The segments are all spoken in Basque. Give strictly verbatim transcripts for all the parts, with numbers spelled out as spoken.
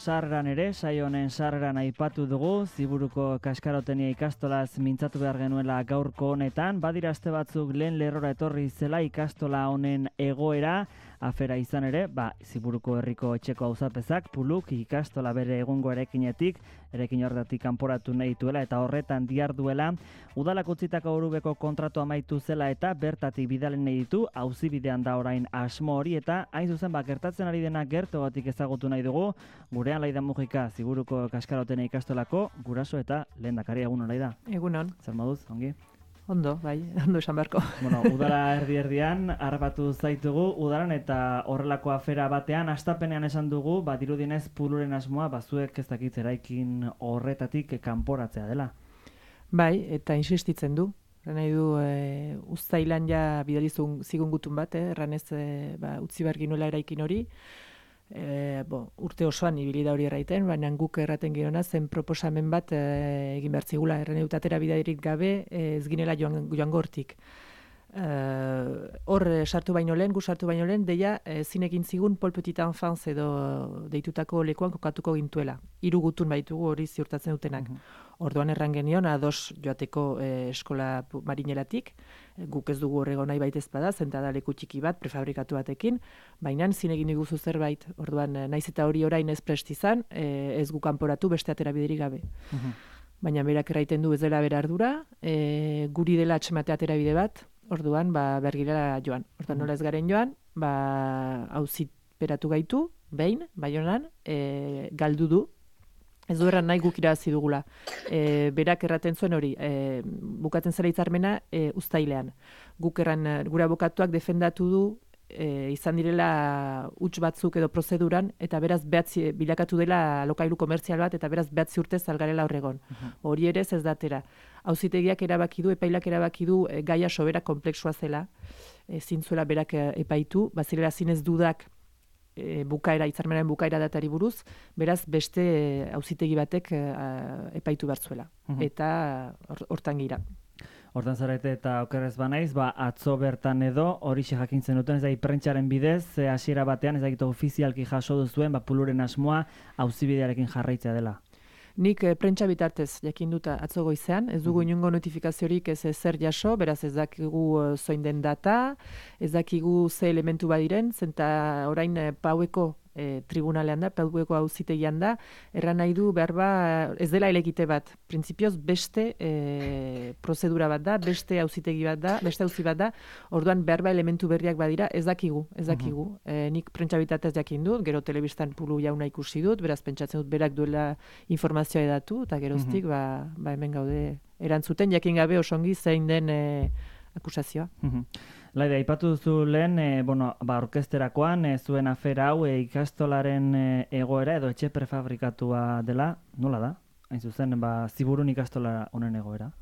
Sarreran ere, saio honen sarreran aipatu dugu, Ziburuko Kaskarotenia ikastolaz mintzatu behar genuela gaurko honetan, badira aste batzuk lehen lerrora etorri zela ikastola honen egoera, afera izan ere, ba, Ziburuko herriko etxeko auzapezak, Puluk ikastola bere egungo erekinetik, erekin horretatik kanporatu nahi duela eta horretan diharduela, udalak utzitako Orubeko kontratu amaitu zela eta bertatik bidalen nahi ditu, auzibidean da orain asmo hori eta hain zuzen ba, gertatzen ari dena gertogatik ezagutu nahi dugu, gurean Laida Mujika, Ziburuko Kaskarotenia ikastolako guraso eta lehendakari. Egunon, Laida. Egunon. Zer moduz, ongi? Ondo, bai, ondo esan beharko. Bueno, udara erdi-erdian harbatu zaitugu udaran eta horrelako afera batean astapenean esan dugu, ba dirudienez Puluren asmoa bazuek ez dakit eraikin horretatik kanporatzea dela. Bai, eta insistitzen du. Nahi du e, uztailan ja bidalizun zigun gutun bat, eh, erranez e, ba, utzi behar ginuela eraikin hori. E, bo, urte osoan ibili da hori erraiten, baina guk erraten girona zen proposamen bat e, egin behar zigula, erran edut atera bidairik gabe e, ez ginela joan, joan gortik. Hor e, sartu baino lehen, gu sartu baino lehen, deia e, zinekin zigun Pol Petit Enfance edo deitutako lekuan kokatuko gintuela. Hiru gutun baitugu hori ziurtatzen dutenak. Mm-hmm. Orduan erran genion, ados joateko e, eskola marinelatik, e, guk ez dugu horrego nahi baitez bada, zentada leku txiki bat, prefabrikatu batekin, baina zinegin diguzu zerbait, orduan naiz eta hori orain ez prest izan, e, ez gu kanporatu beste atera biderik gabe. Mm-hmm. Baina berak erraiten du ez dela bera ardura, e, guri dela atxematea atera bide bat, orduan ba, bergirela joan. Orduan nola ez garen joan, ba, auziperatu gaitu, behin, Baionan, e, galdu du, ez du erran nahi guk irabazi dugula. E, berak erraten zuen hori, e, bukatzen zela hitzarmena e, uztailean. Guk erran, gure abokatuak defendatu du, e, izan direla huts batzuk edo prozeduran, eta beraz behatzi, bilakatu dela lokailu komertzial bat, eta beraz behatzi urtez algarela horregon. Hori ere ez datera. Auzitegiak erabaki du, epailak erabaki du e, gaia sobera komplexua zela, e, zintzuela berak e, epaitu, bazirela zinez dudak e, bukaera, hitzarmenaren bukaera datari buruz, beraz beste auzitegi batek e, epaitu bertzuela. Uh-huh. Eta hortan gira. Hortan zarete eta okerrez banaiz, ba, atzo bertan edo hori jakintzen duten, ez da, prentxaren bidez, hasiera batean, ez da, ofizialki jaso duzuen, ba, Puluren asmoa auzibidearekin jarraitzea dela. Nik e, prentsa bitartez jakin dut atzo goizean, ez dugu inongo notifikaziorik ez zer jaso, beraz ez dakigu e, zoin den data, ez dakigu ze elementu badiren, zenta orain e, paueko e, tribunalean da, paueko auzitegian da, erran nahi du behar ba, ez dela elegite bat, printzipioz beste e, prozedura bat da, beste auzitegi bat da, beste auzi bat da, orduan behar ba elementu berriak badira, ez dakigu, ez dakigu. Uh-huh. E, nik prentsa bitartez jakin dut, gero telebistan Pulu jauna ikusi dut, beraz pentsatzen dut berak duela informazioa edatu, eta geroztik, uh-huh. ba, ba hemen gaude erantzuten, jakin gabe osongi zein den e, akusazioa. Uh-huh. Laida, aipatu duzu lehen, e, bueno, ba, orkesterakoan, e, zuen afera hau, e, ikastolaren e, egoera edo etxe prefabrikatua dela, nola da? Hain zuzen, ba, Ziburun ikastola honen egoera?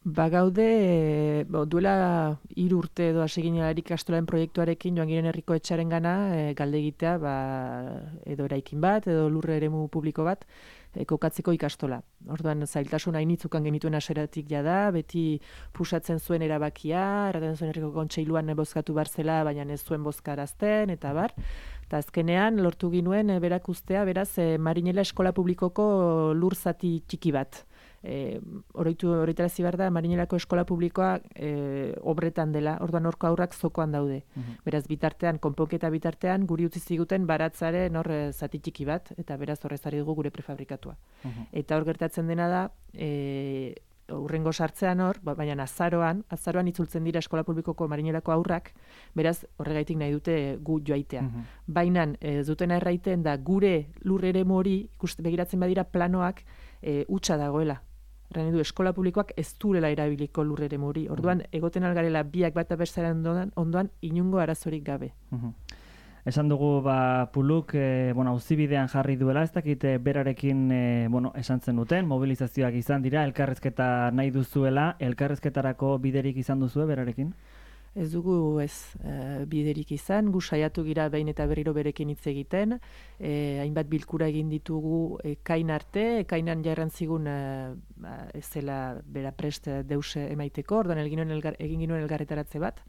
Ba gaude, e, bo, duela hiru urte edo hasi ginela ikastolaren proiektuarekin joan giren herriko etxaren gana, e, galde egitea, ba, edo eraikin bat, edo lurre eremu publiko bat, e, kokatzeko ikastola. Orduan zailtasun hainitzukan genituen aseratik jada, beti pusatzen zuen erabakia, erraten zuen herriko kontseiluan bozkatu barzela, baina ez zuen bozkarazten, eta bar. Eta azkenean lortu ginuen e, berak ustea, beraz, e, Marinela eskola publikoko lur zati txiki bat. E, oroitu horretarazi behar da, Marinelako eskola publikoa e, obretan dela, orduan horko aurrak zokoan daude. Uh-huh. Beraz, bitartean, konponketa bitartean, guri utzi ziguten baratzaren hor zati txiki bat, eta beraz horrezari dugu gure prefabrikatua. Uh-huh. Eta hor gertatzen dena da, e, urrengo sartzean hor, baina azaroan, azaroan itzultzen dira eskola publikoko Marinelako aurrak, beraz horregaitik nahi dute gu joaitea. Uh-huh. Baina ez dutena erraiten da gure lur eremu hori, ikuste begiratzen badira planoak, e, hutsa dagoela. Erran edu, eskola publikoak ez duela erabiliko lur eremu hori. Orduan, uh-huh. egoten algarela biak bat abestaren ondoan, ondoan inungo arazorik gabe. Uh-huh. Esan dugu, ba, Puluk, e, bueno, auzibidean jarri duela, ez dakit berarekin, e, bueno, esan zen duten, mobilizazioak izan dira, elkarrezketa nahi duzuela, elkarrezketarako biderik izan duzue berarekin? Ez dugu ez e, biderik izan, gu saiatu gira behin eta berriro berekin hitz egiten, e, hainbat bilkura egin ditugu ekain arte, ekainan jarran zigun e, ez zela bera prest deus emaiteko, orduan egin, elgar, egin ginuen elgarretaratze bat,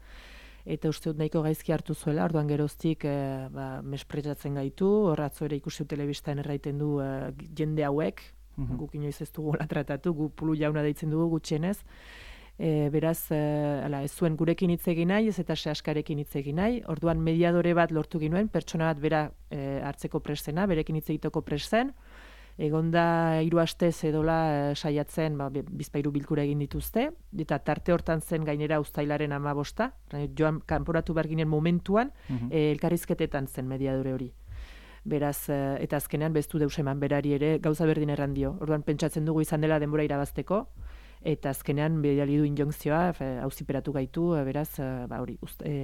eta uste dut nahiko gaizki hartu zuela, orduan geroztik e, ba, mesprezatzen gaitu, horratzo ere ikusi telebistan erraiten du e, jende hauek, mm-hmm. guk inoiz ez dugu hola tratatu, gu pulu jauna deitzen dugu gutxienez, e, beraz, e, ala, ez zuen gurekin hitz egin nahi, ez eta sehaskarekin hitz egin nahi, orduan mediadore bat lortu ginuen, pertsona bat bera e, hartzeko prestena, berekin hitz egiteko presten, egonda hiru astez edola e, saiatzen, ba, bizpahiru bilkura egin dituzte, eta tarte hortan zen gainera uztailaren hamabosta, joan kanporatu behar ginen momentuan, mm-hmm. e, elkarrizketetan zen mediadore hori. Beraz, e, eta azkenean beztu deus eman berari ere gauza berdin errandio. Orduan pentsatzen dugu izan dela denbora irabazteko, eta azkenean bidali du injunkzioa, auziperatu gaitu, beraz, ba hori,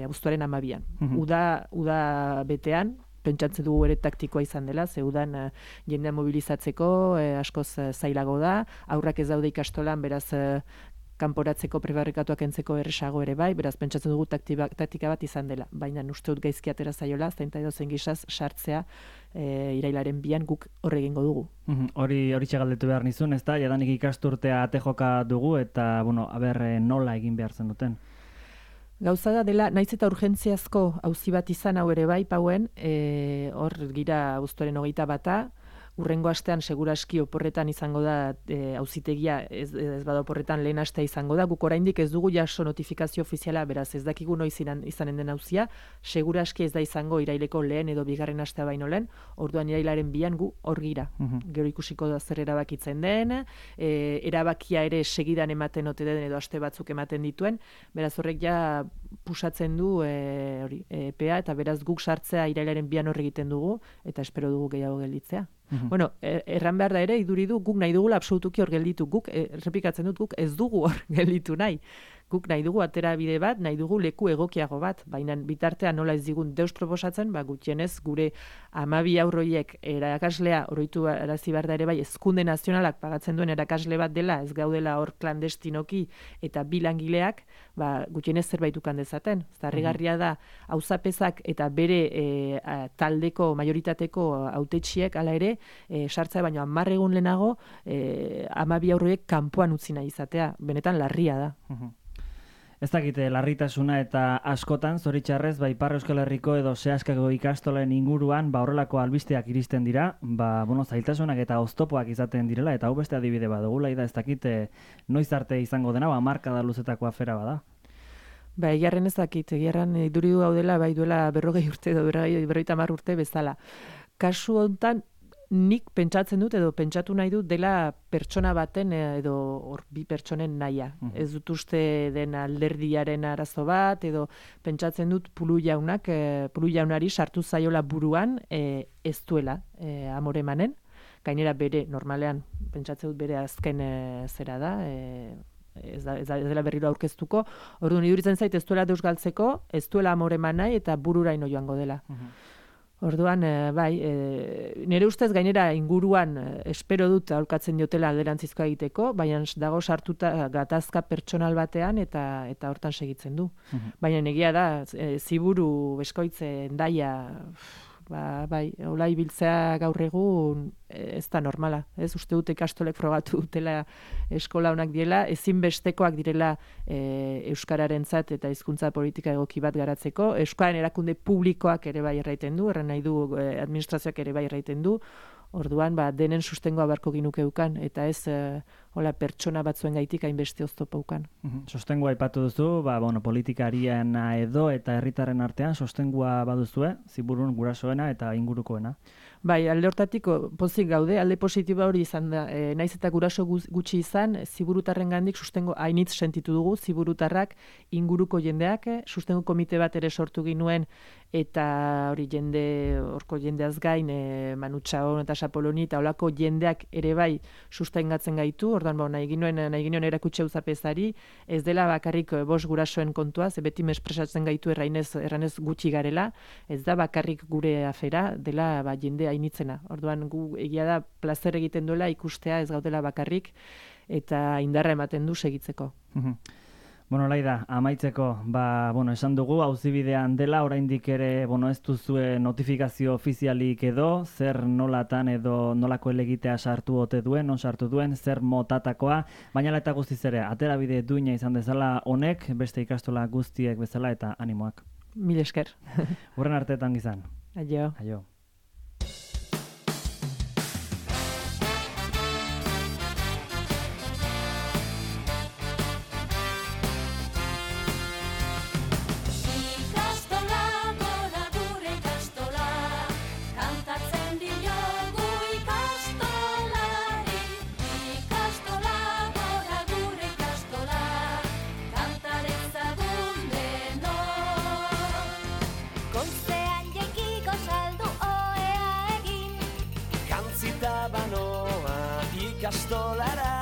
abuztuaren hamabian. Mm-hmm. Uda, uda betean, pentsatzen dugu ere taktikoa izan dela, zeudan uh, jendea mobilizatzeko, eh, askoz uh, zailago da, aurrak ez daude ikastolan, beraz uh, kanporatzeko prebarrikatuak entzeko erresago ere bai, beraz pentsatzen dugu taktika, taktika bat izan dela, baina uste dut gaizki atera zaiola, zainta edo zen gizaz sartzea e, irailaren bian guk horre egingo dugu. Mm-hmm. Hori hori txegaldetu behar nizun, ez da, jadanik ikasturtea atejoka dugu, eta, bueno, aber, nola egin behar zen duten? Gauza da dela, naiz eta urgentziazko auzi bat izan hau ere bai, pauen, e, hor gira abuztuaren hogeita bata, urrengo astean seguraski oporretan izango da e, auzitegia, ez, ez bada oporretan lehen astea izango da, guk oraindik ez dugu jaso notifikazio ofiziala, beraz ez dakigu noiz izanen den auzia, seguraski ez da izango iraileko lehen edo bigarren astea baino lehen, orduan irailaren bian gu hor gira. Mm-hmm. Gero ikusiko da zer erabakitzen den, e, erabakia ere segidan ematen ote den edo aste batzuk ematen dituen, beraz horrek ja pusatzen du e, hori, e, epea, eta beraz guk sartzea irailaren bian hor egiten dugu, eta espero dugu gehiago gelditzea. Mm-hmm. Bueno, erran behar da ere, iduri du, guk nahi dugula absolutuki hor gelditu, guk, errepikatzen dut, guk ez dugu hor gelditu nahi. Guk nahi dugu atera bide bat, nahi dugu leku egokiago bat, baina bitartean nola ez digun deus proposatzen, ba, gutxienez gure hamabi aurroiek erakaslea oroitu arazi behar da ere bai, hezkunde nazionalak pagatzen duen erakasle bat dela, ez gaudela hor klandestinoki eta bilangileak, ba, gutxienez zerbait ukan dezaten. Zarrigarria da, auzapezak eta bere e, a, taldeko, majoritateko hautetsiek hala ere, e, sartzea baino hamar egun lehenago, e, hamabi aurroiek kanpoan utzi nahi izatea, benetan larria da. Uh-huh. Ez dakite, larritasuna eta askotan, zoritxarrez, ba, Ipar Euskal Herriko edo Seaskako ikastolen inguruan, ba, horrelako albisteak iristen dira, ba, bueno, zailtasunak eta oztopoak izaten direla, eta hau beste adibide badugula, eta ez dakite, noiz arte izango dena, ba, markada luzetako afera bada. Ba, egiarren ez dakit, egiarren iduri du gaudela, bai duela berrogei urte edo berrogeita hamar urte bezala. Kasu hontan, nik pentsatzen dut edo pentsatu nahi dut dela pertsona baten edo hor bi pertsonen nahia. Mm-hmm. Ez dut uste den alderdiaren arazo bat edo pentsatzen dut Pulu jaunak, e, Pulu jaunari sartu zaiola buruan e, ez duela e, amore emanen. Gainera bere, normalean, pentsatzen dut bere azken e, zera da, e, ez, da, ez, da, ez dela berriro aurkeztuko. Orduan iduritzen zait ez duela deus galtzeko, ez duela amore eman nahi eta bururaino joango dela. Mm-hmm. Orduan, e, bai, e, nire ustez gainera inguruan e, espero dut aholkatzen diotela alderantzizkoa egiteko, baina dago sartuta gatazka pertsonal batean eta eta hortan segitzen du. Mm-hmm. Baina egia da, e, Ziburu, Beskoitze, Hendaia, ba, bai, hola ibiltzea gaur egun ez da normala. Ez uste dute ikastolek frogatu dutela eskola honak diela, ezinbestekoak direla e, euskararentzat eta hizkuntza politika egoki bat garatzeko. Euskaren erakunde publikoak ere bai erraiten du, erran nahi du e, administrazioak ere bai erraiten du. Orduan, ba, denen sustengoa beharko ginukeukan, eta ez e, hola pertsona batzuen gaitik hainbeste oztopaukan. Mm-hmm. Sostengua aipatu duzu, ba, bueno, politikarian edo eta herritarren artean sostengua baduzue, Ziburun gurasoena eta ingurukoena. Bai, alde hortatik pozik gaude, alde positiba hori izan da, e, naiz eta guraso gutxi izan, Ziburutarren gandik sustengo hainitz sentitu dugu, Ziburutarrak inguruko jendeak, sustengo komite bat ere sortu ginuen, eta hori jende, horko jendeaz gain, e, Manutxaon eta Sapoloni, eta holako jendeak ere bai sustengatzen gaitu, orduan ba, nahi ginuen, nahi ginuen erakutxe uzapezari, ez dela bakarrik bost gurasoen kontua, ze beti mespresatzen gaitu errainez, erranez gutxi garela, ez da bakarrik gure afera, dela ba, jende hainitzena. Orduan gu egia da plazer egiten duela ikustea ez gaudela bakarrik eta indarra ematen du segitzeko. Bueno, Laida, amaitzeko, ba, bueno, esan dugu, auzibidean dela, oraindik ere, bueno, ez duzue notifikazio ofizialik edo, zer nolatan edo nolako elegitea sartu ote duen, non sartu duen, zer motatakoa, baina eta guztiz ere, aterabide duina izan dezala honek, beste ikastola guztiek bezala eta animoak. Mil esker. Urren arteetan gizan. Aio. Aio. Ikastolara